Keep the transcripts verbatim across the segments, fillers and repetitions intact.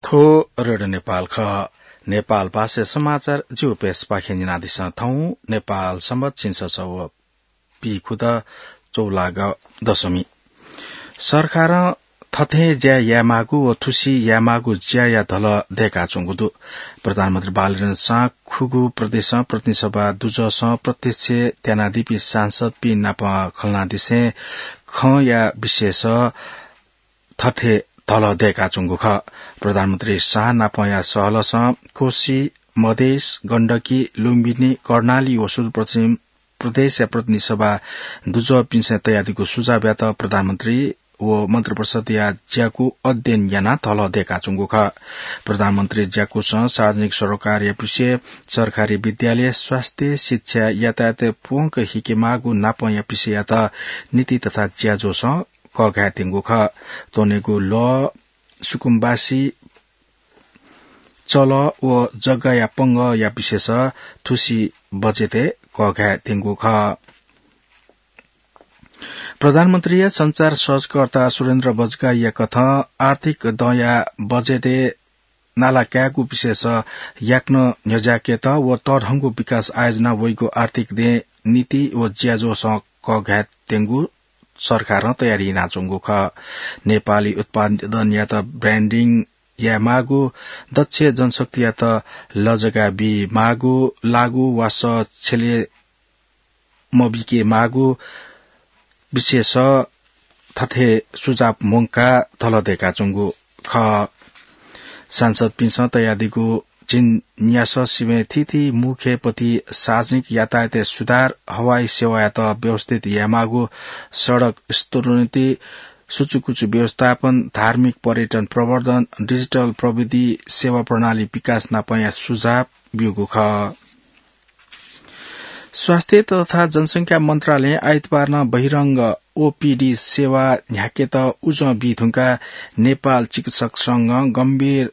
थ्व रेडियो नेपाल खः। नेपाल भाषा समाचार जिगु पेजपाखें न्यनादिसँ। थौं नेपाल संवत् झिंछसः व पीखुदँ चौलाग दशमी। सरकारं थथे ज्या यायेमाःगु व थुसी यायेमाःगु ज्याया धलः दय्काच्वंगु दु। प्रधानमन्त्री बालकृष्ण साह खुगू प्रदेशं प्रतिनिधि सभा दुजःसं प्रत्यक्ष त्यानादीपिं सांसदपिं नाप खलनादिसें खँया विषयस थथे धलः दय्काच्वंगु खः। प्रधानमन्त्री साह नापया सहलसं कोशी, मधेस, गण्डकी, लुम्बिनी, कर्णाली व सुदूरपश्चिम प्रदेशया प्रतिनिधि सभा दुजःपिन्सं तयादीगु सुझावयात प्रधानमन्त्री व मन्त्रिपरिषदया ज्याकू अध्ययन यानाः धलः दय्काच्वंगु खः। प्रधानमन्त्री ज्याकूसं सार्वजनिक सरोकारया विषय, सरकारी विद्यालय, स्वास्थ्य, शिक्षा, यातायात प्वंक हिकेमाःगु नापंया विषययात नीति तथा ज्याझ्वःसं कःघायेत्यंगु खः। त्वनेगु लः, सुकुम्बासी, चलः व जग्गाया पंगःया विषयस थुसी बजेटय् कःघायेत्यंगु खः। प्रधानमन्त्रीया सञ्चार सहजकर्ता सुरेन्द्र बज्गाईया कथं आर्थिक दँया बजेटय् नाला कायेगु विषयस याकनं न्ह्यज्याकेत व तःधंगु विकास आयोजना वइगु आर्थिक दँय् नीति व ज्याझ्वःसं कःघायेत्यंगु सरकारं तयारी यानाच्वंगु खः। नेपाली उत्पादनयात branding यायेमाःगु, दक्ष जनशक्तियात लजगाः बीमाःगु, लागु वासः छ्यले मबीकेमाःगु विषयस थथे सुझाव मुंकाः धलः दय्काच्वंगु खः। सांसदपिन्सं तयादीगु झिंन्यासः सिबें थीथी मुख्य पथि सार्वजनिक यातायातय् सुधार, हवाई सेवायात व्यवस्थित यायेमाःगु, सडक स्तरोन्नति, सुचुकुचु व्यवस्थापन, धार्मिक पर्यटन प्रवर्धन, डिजिटल प्रविधि सेवा प्रणाली विकास नापया सुझाव ब्यूगु खः। स्वास्थ्य तथा जनसंख्या मन्त्रालयं आइतबारनं बहिरंग ओपीडी सेवा न्ह्याकेत उजं बी धुंकाः नेपाल चिकित्सक संघं गम्भीर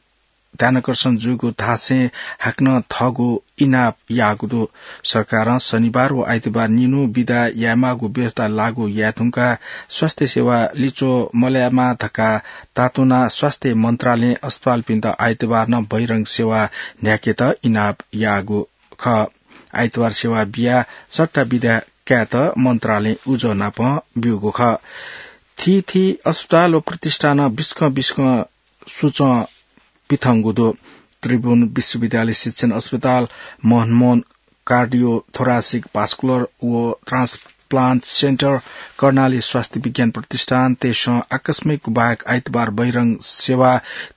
ध्यानाकर्षण जूगु धासें हाकनं थःगु इनाप याःगु दु। सरकारं शनिबार व आइतबार निन्हु बिदा यायेमाःगु व्यवस्था लागू याये धुंकाः स्वास्थ्य सेवा लिच्वः मलायेमा धकाः तातुनाः स्वास्थ्य मन्त्रालयं अस्पतालपिन्त आइतबारनं बहिरंग सेवा न्ह्याकेत इनाप याःगु खः। आइतबार सेवा बियाः सट्टा बिदा कायेत मन्त्रालयं उजं नाप ब्यूगु खः। थीथी अस्पताल व प्रतिष्ठानं बिस्कं बिस्कं सुचं पिथंगु दु। त्रिभुवन विश्वविद्यालय शिक्षण अस्पताल, मोहन मोहन कार्डियोथोरासिक भास्कुलर व ट्रान्सप्लान्ट सेन्टर, कर्णाली स्वास्थ्य विज्ञान प्रतिष्ठान तय्सं आकस्मिक बाहेक आइतबार बहिरंग सेवा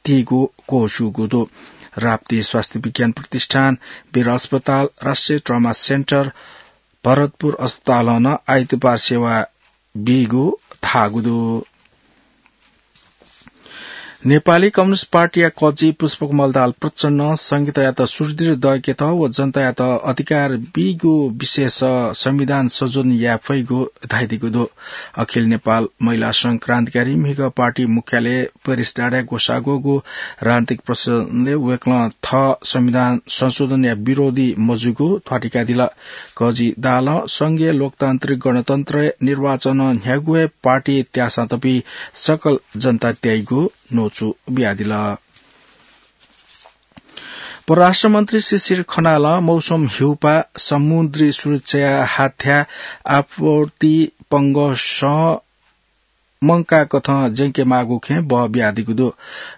तीगु क्वःछ्यूगु दु। राप्ती स्वास्थ्य विज्ञान प्रतिष्ठान, वीर अस्पताल, राष्ट्रिय ट्रमा सेन्टर, भरतपुर अस्पतालं नं आइतबार सेवा बीगु धाःगु दु। नेपाली कम्युनिस्ट पार्टीया कजि पुष्पकमल दाहाल प्रचण्डं संघीयतायात सुदृढ दय्केत व जनतायात अधिकार बीगु विषयस संविधान संशोधन याये फइगु धाइदीगु दु। अखिल नेपाल महिला संघ क्रान्तिकारी म्हिगः पार्टी मुख्यालय पेरिस डाँडाय् ग्वसाः ग्वःगु राजनीतिक प्रदर्शनय् वय्कलं थः संविधान संशोधनया विरोधी मजूगु ध्वाथुइकादिल। कजि दाहालं संघीय लोकतान्त्रिक गणतन्त्रय् निर्वाचनं न्ह्यागु हे पार्टी त्याःसां तपि सकल जनता त्याइगु न्वचु बियादिल। परराष्ट्र मन्त्री शिशिर खनालं मौसम ह्यूपाः, समुद्री सुरक्षाया हाथ्या, आपत्ति पंगसं मंकाकथं ज्यंकेमाःगु खँय् बः बियादीगु दु।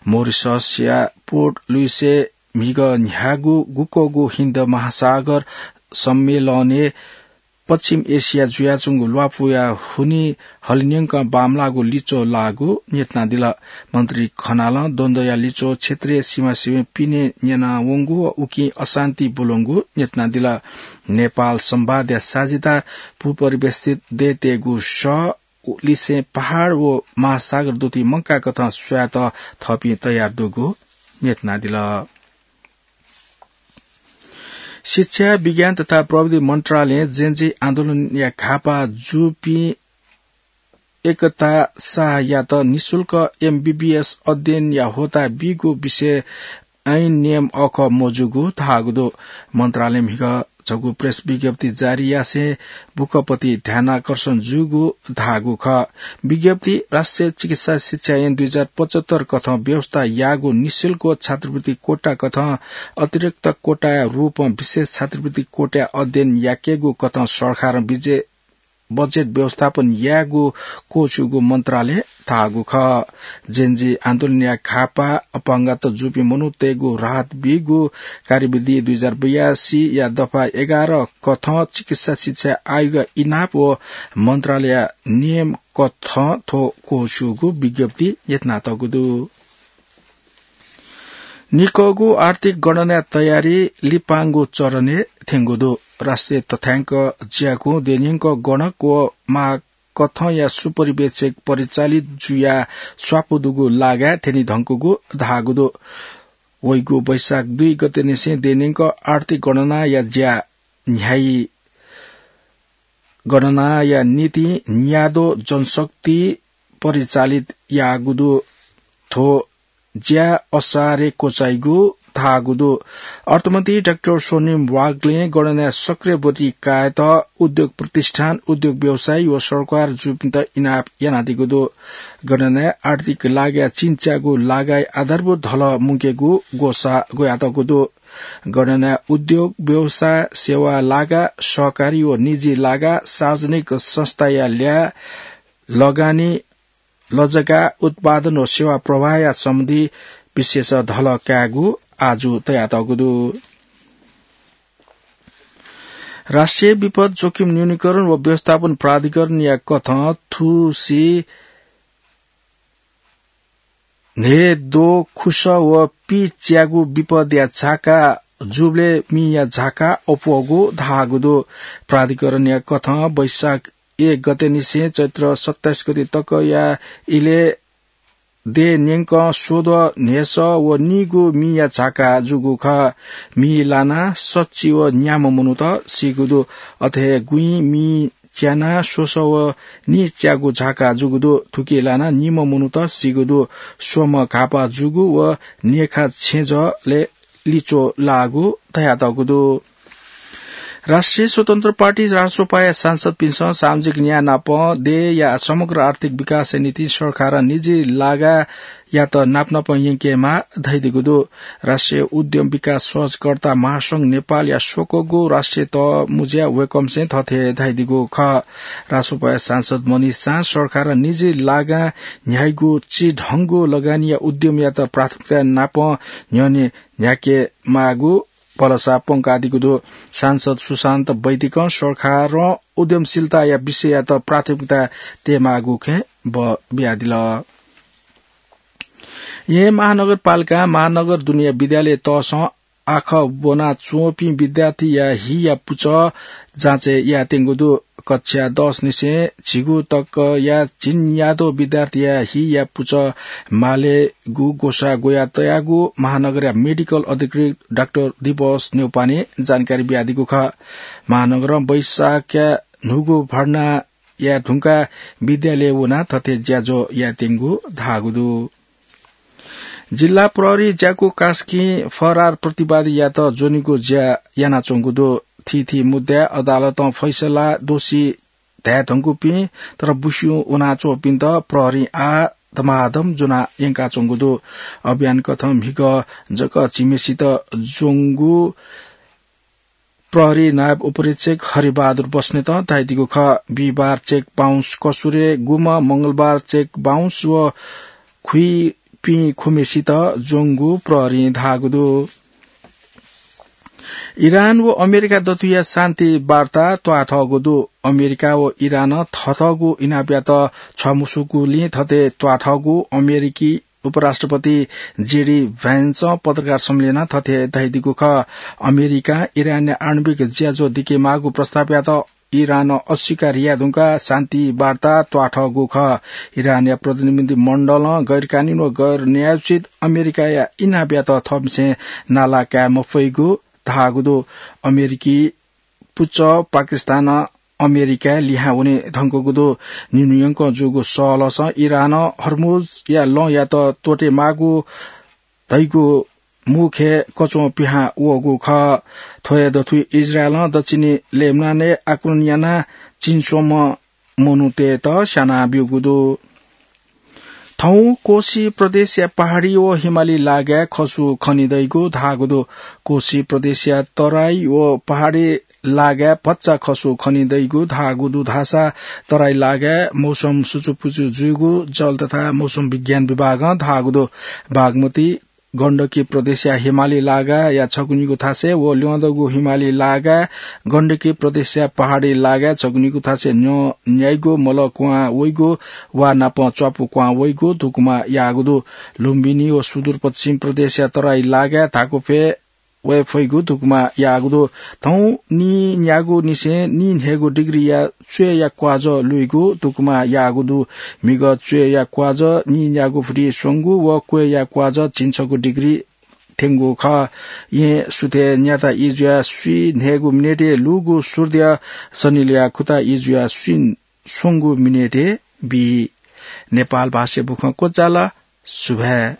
मोरिससया पोर्ट लुइसय् म्हिगः न्ह्यागु गुक्वःगु हिन्द महासागर सम्मेलनय् पश्चिम एसिया जुयाच्वंगु ल्वापुया हुनिं हलिंन्यंकं बांमलाःगु लिच्वः लाःगु न्ह्यथनादिल। मन्त्री खनालं द्वन्द्वया लिच्वः क्षेत्रीय सीमासिबें पिने न्यनावंगु व उकिं अशान्ति ब्वलंगु न्ह्यथनादिल। नेपाल संवादया साझेदार भूपरिवेष्ठित देय्‌तय्‌गु सः लिसें पहाड व महासागर दुथुइ मंकाकथं स्वयेत थःपिं तयार दुगु न्ह्यथनादिल। शिक्षा, विज्ञान तथा प्रविधि मन्त्रालयं जेनजी आन्दोलनया घाःपाः जूपिं एकता शाहयात निशुल्क एमबीबीएस अध्ययनया होता बीगु विषय ऐन नियम अःखः मजूगु धाःगु दु। मन्त्रालयं म्हिगः छगू प्रेस विज्ञप्ति जारी यासें बुकपति ध्यानाकर्षण जूगु धाःगु खः। विज्ञप्ति राष्ट्रिय चिकित्सा शिक्षा ऐन दुई हजार पचहत्तर कथं व्यवस्था याःगु निशुल्क छात्रवृत्ति कोटा कथं अतिरिक्त कोटाया रूपं विशेष छात्रवृत्ति कोटाया अध्ययन याकेगु कथं सरकारं विजे-, बजेट व्यवस्थापन यायेगु क्वःछूगु मन्त्रालयं धाःगु खः। जेनजी आन्दोलनया घाःपाः अपंगत जूपिं मनूतय्गु राहत बीगु कार्यविधि दुई हजार बयासी या दफा एघार कथं चिकित्सा शिक्षा आयोग इनाप व मन्त्रालय नियम कथं थ्व क्वःछूगु विज्ञप्ति यत्नातःगु दु। निकःगु आर्थिक गणनाया तयारी लिपांगु चरणय् थ्यंगु दु। राष्ट्रिय तथ्याङ्क ज्याकुं देन्यंक गणक व महाकथंया सुपरिवेक्षक परिचालित जुया स्वापू दुगु लागाय् थ्यनी धंकुगु धाःगु दु। वइगु वैशाख दुई गते निसें देन्यंक आर्थिक गणनाया ज्या न्ह्याइ गणनाया निंतिं न्यादो जनशक्ति परिचालित याःगु दु। थ्व ज्या असारे क्वचाइगु धाःगु दु। अर्थमन्त्री डाक्टर सोनिम वाग्लें गणनाय् सक्रिय ब्वति कायेत उद्योग प्रतिष्ठान, उद्योग व्यवसायी व सरकार जूपिन्त इनाप यानादीगु दु। गणनाय् आर्थिक लागाय् चिन्च्यागु लागाय् आधारभूत धलः मुंकेगु ग्वसाः ग्वयातःगु दु। गणनाय् उद्योग, व्यवसाय, सेवा लागा, सहकारी व निजी लागा, सार्वजनिक संस्थाया ल्याः, लगानी, लजगाः, उत्पादन व सेवा प्रवाहया सम्बन्धी विशेष धलः कायेगु आजु तयातःगु दु। राष्ट्रिय विपद जोखिम न्यूनीकरण व व्यवस्थापन प्राधिकरणया कथं थुसी न्हेदो खुसः व पिच्यागु विपदया झाका जूबलय् मिया झाका अप्वःगु धाःगु दु। प्राधिकरणया कथं वैशाख एक गते निसें चैत्र सत्ताइस गते तकया इलय् देय् न्यंकं स्वद्वः न्हय्सः व नीगू मिया झाका जूगु खः। मि लानाः सच्छि व न्याम्ह मनूत सीगु दु। अथे हे गुँइ मि च्यानाः स्वसः व नीच्यागू झाका जूगु दु। थुकी लानाः निम्ह मनूत सीगु दु। स्वम्ह घाःपाः जूगु व न्हेखा छेँजःलय् लिच्वः लाःगु धयातःगु दु। राष्ट्रिय स्वतन्त्र पार्टी रासोपाया सांसदपिन्सं सामाजिक न्याय नाप देय्‌या समग्र आर्थिक विकासया निंतिं सरकारं निजी लागायात नापनापं यंकेमाः धयादीगु दु। राष्ट्रिय उद्यम विकास सहजकर्ता महासंघ नेपालया स्वकःगु राष्ट्रिय तःमुँज्या वय्‌कःपिन्सं थथे धयादीगु खः। रासोपाया सांसद मनिष झां सरकारं निजी लागां न्ह्याइगु चिधंगु लगानीया उद्यमयात प्राथमिकता नाप न्ह्यःने न्ह्याकेमाःगु भलसा प्वंकादीगु दु। सांसद सुशान्त वैदिकं सरकारं उद्यमशीलताया विषययात प्राथमिकता तयेमाःगु खँय् बः बियादिल। येँ महानगरपालिकां महानगर दुनेया विद्यालय तःसं आखः ब्वनाच्वंपिं विद्यार्थीया हिया पुचः जाँचय् यायेत्यंगु दु। कक्षा दस निसें झिगू तकया झिंन्यादँ विद्यार्थीया हिया पुचः मालेगु ग्वसाः ग्वयातयागु महानगरया मेडिकल अधिकृत डाक्टर दिवस न्यौपानें जानकारी बियादीगु खः। महानगरं वैशाखया न्हूगु भर्ना याये धुंकाः विद्यालयय् वनाः थथे ज्याझ्वः यायेत्यंगु धाःगु दु। जिल्ला प्रहरी ज्याकू कास्कीं फरार प्रतिवादीयात ज्वनेगु ज्या यानाच्वंगु दु। थीथी मुद्दाय् अदालतं फैसलां दोषी धाये धुंकूपिं तर बुस्युं वनाच्वंपिन्त प्रहरीं आः धमाधम ज्वना यंकाच्वंगु दु। अभियान कथं म्हिगः जक झिम्हेसित ज्वंगु प्रहरी नायब उपरीक्षक हरिबहादुर बस्नेतं धयादीगु खः। बिहिबार चेक बाउन्स कसुरय् गुम्ह, मंगलबार चेक बाउन्स व खुइपिं खुम्हेसित ज्वंगु प्रहरीं धाःगु दु। इरान व अमेरिका दथुया शान्ति वार्ता त्वाःथःगु दु। अमेरिका व इरानं थःथःगु इनापयात छ्वाः मसुकूगुलिं थथे त्वाःथःगु अमेरिकी उपराष्ट्रपति जेडी भ्यान्सं पत्रकार सम्मेलनं थथे धयादीगु खः। अमेरिकां इरानया आणविक ज्याझ्वः दिकेमाःगु प्रस्तावयात इरानं अस्वीकार याये धुंकाः शान्ति वार्ता त्वाःथःगु खः। इरानया प्रतिनिधि मण्डलं गैरकानूनी व गैर न्यायोचित अमेरिकाया इनापयात थःपिन्सं नाला काये मफइगु धाःगु दु। अमेरिकी पुचः पाकिस्तानं अमेरिकाय् लिहां वने धुंकूगु दु। निन्हु यंकं जूगु सहलहसं इरानं हर्मुजया लँयात त्वःतेमाःगु धइगु मुखे कच्वं पिहां वःगु खः। थ्व हे दथुइ इजरायलं दक्षिणी लेबनानय् आक्रमण यानाः चिंस्वम्ह मनूतय्‌त स्यानाब्यूगु दु। थौं कोशी प्रदेशया पहाडी व हिमाली लागाय् खसु खने दइगु धाःगु दु। कोशी प्रदेशया तराई व पहाडी लागाय् भचा खसु खने दइगु धाःगु दु धाःसा तराई लागाय् मौसम सुचुपुचु जुइगु जल तथा मौसम विज्ञान विभागं धाःगु दु। बागमती गण्डकी प्रदेशया हिमाली लागाया छगू निगू थासय् व ल्यंदगु हिमाली लागाय् गण्डकी प्रदेशया पहाडी लागाय् छगू निगू थासय् न्यं न्याइगु मल क्वहां वइगु वा नापं च्वापु क्वहां वइगु धुकुमा याःगु दु। लुम्बिनी व सुदूरपश्चिम प्रदेशया तराई लागाय् धाकुफय् वये फइगु धुकुमा याःगु दु। थौं नी न्यागू निसें नी न्हय्गू डिग्रीया च्वय्‌या क्वाजः लुइगु धुकुमा याःगु दु। म्हिगः च्वय्‌या क्वाजः नी न्यागू फुति स्वंगू व क्वय्‌या क्वाजः झिंछगू डिग्री थ्यंगु खः। यें सुथय् न्याता ई जुयाः स्वी न्हय्गू मिनेटय् लूगु सूर्य सनिलया खुता ई जुयाः स्वी स्वंगू मिनेटय् बी। नेपाल भाषाय् बुखँ क्वचाल। सुभाय्।